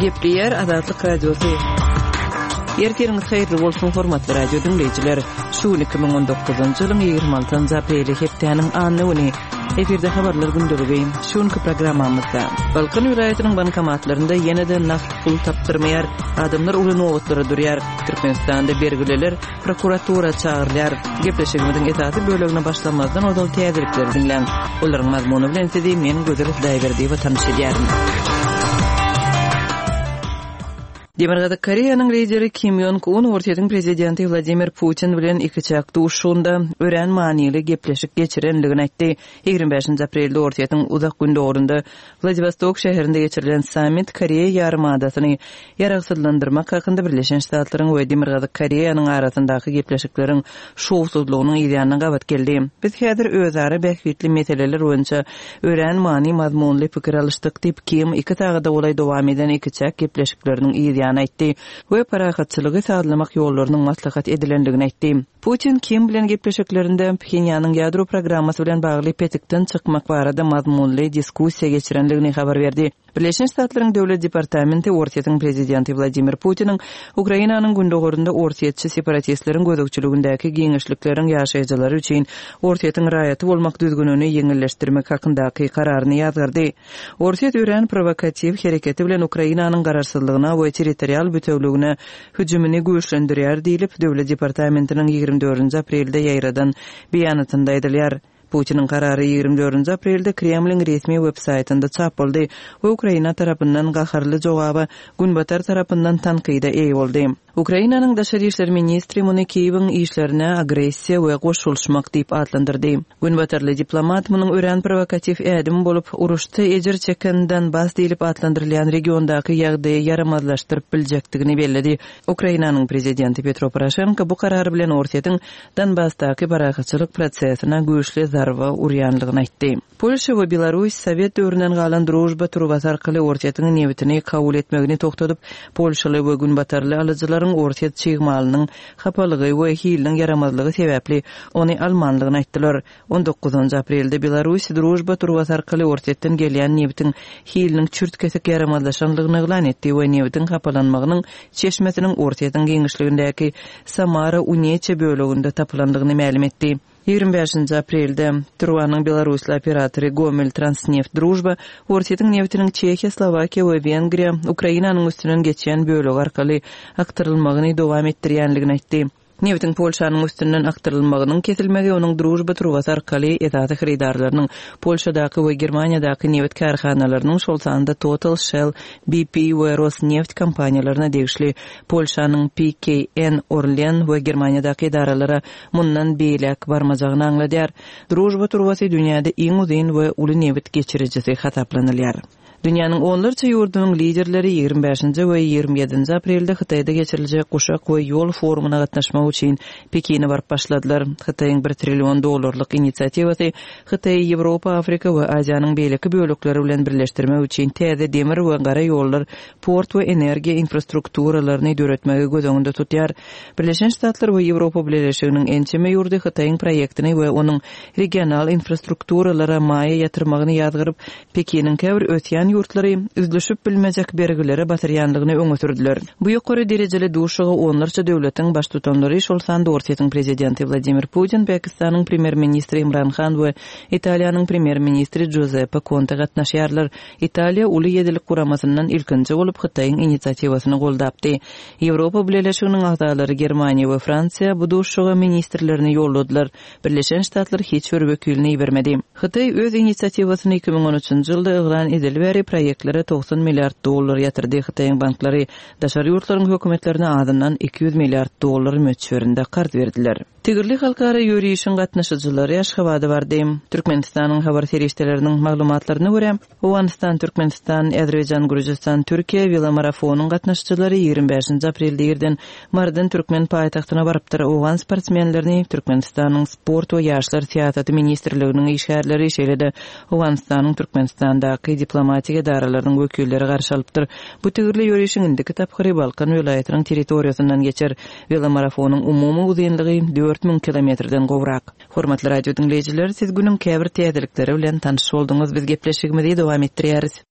Gepleýär Azatlyk Radiosy. Ertiriňiz haýyrly bolsun, hormatly radio diňleýjiler. Şu gün 2019-njy ýylyň 26-njy apreli, hepdäniň anna güni. Efirde habarlar gündeligi. Şu günki programmamyzda Balkan welaýatynyň bankomatlarynda ýene-de nagt pul tapdyrmaýar, adamlar uly nobatlara durýar. Türkmenistanda bergililer prokuratura çagyrylýar. Gepleşigimiziň esasy bölegine başlamazdan ozal täzelikleri diňläň. Olaryň mazmuny bilen sizi men Gözel Hudaýberdiýewa tanyş edýärin. Demirgazyk Koreýanyň lideri Kim Ýong Un Orsýetiň prezidenti Wladimir Putin bilen ikiçäk duşuşygynda örän manyly gepleşik geçirendigini aýtdy. 25-nji aprelde Orsýetiň Uzak Gündogarynda Wladiwostok şäherinde geçirilen sammit Koreýa ýarymadasyny ýaragsyzlandyrmak hakynda Birleşen Ştatlaryň we Demirgazyk Koreýanyň arasyndaky gepleşikleriň şowsuzlygynyň yzýanyna gabat geldi. Biz häzir özara bähbitli meseleler boýunça örän many-mazmunly pikir alyşdyk diýip, Kim iki sagada golaý dowam eden ikiçäk gepleşikleriniň yzýany aýtdy we parahatçylygy sazlamak ýollarynyň maslahat edilendigini aýtdy. Putin Kim bilen gepleşiklerinde Phenýanyň ýadro programmasy bilen bagly petikden çykmak barada mazmunly diskussiýa geçirendigini habar berdi. Birleşen Ştatlaryň Döwlet departamenti Orsýetiň prezidenti Wladimir Putiniň Ukrainanyň gündogarynda orsýetçi separatistleriň gözegçiligindäki giňişlikleriň ýaşaýjylary üçin Orsýetiň raýaty bolmak düzgünini ýeňilleşdirmek hakyndaky kararyny ýazgardy. Orsýet örän prowokatiw hereketi bilen Ukrainanyň garaşsyzlygyna we territorial bütewligine hüjümini güýçlendirýär diýlip, Döwlet departamentiniň 24-nji aprelde ýaýradan beýanatynda aýdylýar. Putiniň karary 24-nji aprelde Kremliň resmi web-saýtynda çap boldy we Ukraina tarapyndan gaharly jogaba, Günbatar tarapyndan tankyda eýe boldy. Ukrainanyň daşary işler ministri muny Kiýewiň işlerine agressiýa we goşulyşmak diýip atlandyrdy. Günbatarly diplomat munuň örän prowokatiw ädim bolup, uruşda ejir çeken Donbas diýlip atlandyrylýan regiondaky ýagdaýy ýaramazlaşdyryp biljekdigini belledi. Ukrainanyň prezidenti Petro Poroşenko bu karar bilen Orsýetiň Donbasdaky parahatçylyk prosesine güýçli zarba urýanlygyny aýtdy. Polşa we Belarus sowet döwründen galan Družba turbasy arkaly Orsýetiň nebitini kabul etmegini togtadyp, polşaly we günbatarly alyjylaryň orsýet çig malynyň hapalygy we hiliniň ýaramazlygy sebäpli ony almanlygyny aýtdylar. On dokuzynjy aprelde Belarus Družba turbasy arkaly Orsýetden gelýän nebitiň hiliniň çürt-kesik ýaramazlaşanlygyny yglan etdi we nebitiň hapalanmagynyň çeşmesiniň Orsýetiň giňişligindäki Samara-Uneçe böleginde tapylandygyny mälim etdi. 25-nji aprelde turbanyň belarusly operatory Gomel Transneft Družba Orsýetiň nebitiniň Çehiýa, Slowakiýa we Wengriýa Ukrainanyň üstünden geçýän bölegi arkaly akdyrylmagyny dowam etdirýänligini aýtdy. Nebitiň Polşanyň üstünden akdyrylmagynyň kesilmegi onuň Družba turbasy arkaly esasy hyrydarlarynyň, Polşadaky we Germaniýadaky nebit kärhanalarynyň, şol sanda Total, Shell, BP we Rosneft kompaniýalaryna degişli Polşanyň PKN Orlen we Germaniýadaky edaralara mundan beýläk barmajagyny aňladýar. Družba turbasy dünýäde iň uzyn we uly nebit geçirijisi hasaplanylýar. Dünýäniň onlarça ýurdunyň liderleri 25-nji we 27-nji aprelde Hytaýda geçiriljek Guşak we ýol forumyna gatnaşmak üçin Pekine baryp başladylar. Hytaýyň bir trillion dollarlyk inisiatiwasy Hytaýy Ýewropa, Afrika we Aziýanyň beýleki bölekleri bilen birleşdirmek üçin täze demir we gara ýollar, port we energiýa infrastrukturalaryny döretmegi göz öňünde tutýar. Birleşen Ştatlar we Ýewropa Bileleşiginiň ençeme ýurdy Hytaýyň proýektini we onuň regional infrastrukturalara maýa ýatyrmagyny ýazgaryp, Pekiniň käbir ösýän ýurtlary üzlüşip bilmejek bergilere batyrýandygyny öňe sürdüler. Bu ýokary derejeli duşuşyga onlarça döwletiň baştutanlary, şol sanda Orsýetiň prezidenti Wladimir Putin, Pakistanyň premýer-ministri Imran Han we Italiýanyň premýer-ministri Juzeppe Konte gatnaşýarlar. Italiýa Uly ýedilik guramasyndan ilkinji bolup Hytaýyň inisiatiwasyny goldapdy. Ýewropa Bileleşiginiň agzalary Germaniýa we Fransiýa bu duşuşyga ministrlerini ýolladylar. Birleşen Ştatlar hiç bir wekilini ibermedi. Hytaý öz inisiatiwasyny 2013-nji ýylda yglan edeli bäri proýektlere 90 milliard dollar ýatyrdy. Hytaýyň banklary daşary ýurtlaryň hökümetlerine azyndan 200 milliard dollar möçberinde karz berdiler. Tigirli halkara ýörişiň gatnaşyjylary Aşgabada bardy. Türkmenistanyň habar serişdeleriniň maglumatlaryna görä, Owganystan, Türkmenistan, Azerbaýjan, Gürjüstan, Türkiýe welomarafonyň gatnaşyjylary 25-nji aprelde irden Marydan türkmen paýtagtyna barypdyr. Owgan sportsmenlerini Türkmenistanyň Sport we ýaşlar syýasaty ministrliginiň işgärleri, şeýle-de Owganystanyň Türkmenistandaky diplomatik edaralarynyň wekilleri garşy alypdyr. Bu tigirli ýörişiň indiki tapgyry Balkan welaýatynyň territoriýasyndan geçer. Welomarafonyň umumy uzynlygy 4000 kilometrden gowrak. Hormatly radio diňleýjiler, siz günüň käbir täzelikleri bilen tanyş bolduňyz. Biz gepleşigimizi dowam etdirýäris.